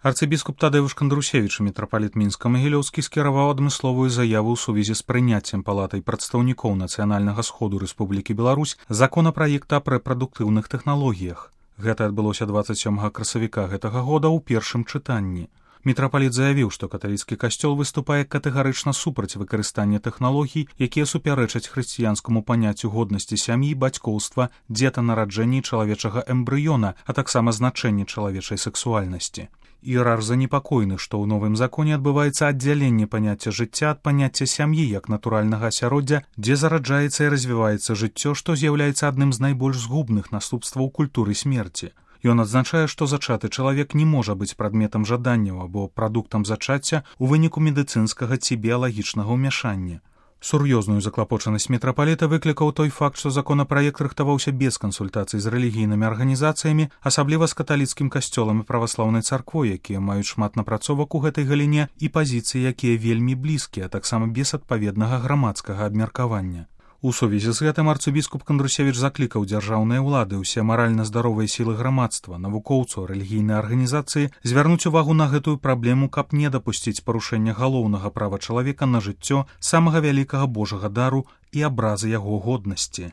Арцыбіскуп Тадэвуш Кандрусевіч, мітрапаліт Мінска-Магілёўскі, скіраваў адмысловую заяву ў сувязі з прыняццем палатай прадстаўнікоў Нацыянальнага сходу Рэспублікі Беларусь законапраекта аб рэпрадуктыўных тэхналогіях. Гэта адбылося 27 красавіка гэтага года ў першым чытанні. Мітрапаліт заявіў, што каталіцкі касцёл выступае катэгарычна супраць выкарыстання тэхналогій, якія супярэчаць хрысціянскаму паняццю годнасці сям'і, бацькоўства, дзетанараджэння чалавечага эмбрыёна, а таксама значэння чалавечай сексуальнасці. Іерарх занепакоены, што ў новым законе адбываецца аддзяленне паняцця жыцця ад паняцця сям'і як натуральнага асяроддзя, дзе зараджаецца і развіваецца жыццё, што з'яўляецца адным з найбольш згубных наступстваў культуры смерці. Ён адзначае, што зачаты чалавек не можа быць прадметам жаданняў або прадуктам зачацця ў выніку медыцынскага ці біялагічнага ўмяшання. Сур'ёзную заклапочанасць мітрапаліта выклікаў той факт, што законапраект рыхтаваўся без кансультацый з рэлігійнымі арганізацыямі, асабліва з каталіцкім касцёлам і праваслаўнай царквой, якія маюць шмат напрацовак у гэтай галіне і пазіцыі, якія вельмі блізкія, а таксама без адпаведнага грамадскага абмеркавання. У сувязі з гэтым арцыбіскуп Кандрусевіч заклікаў дзяржаўныя ўлады, усе маральна здаровыя сілы грамадства, навукоўцаў, рэлігійныя арганізацыі звярнуць увагу на гэтую праблему, каб не дапусціць парушэння галоўнага права чалавека на жыццё, самага вялікага божага дару і абразы яго годнасці.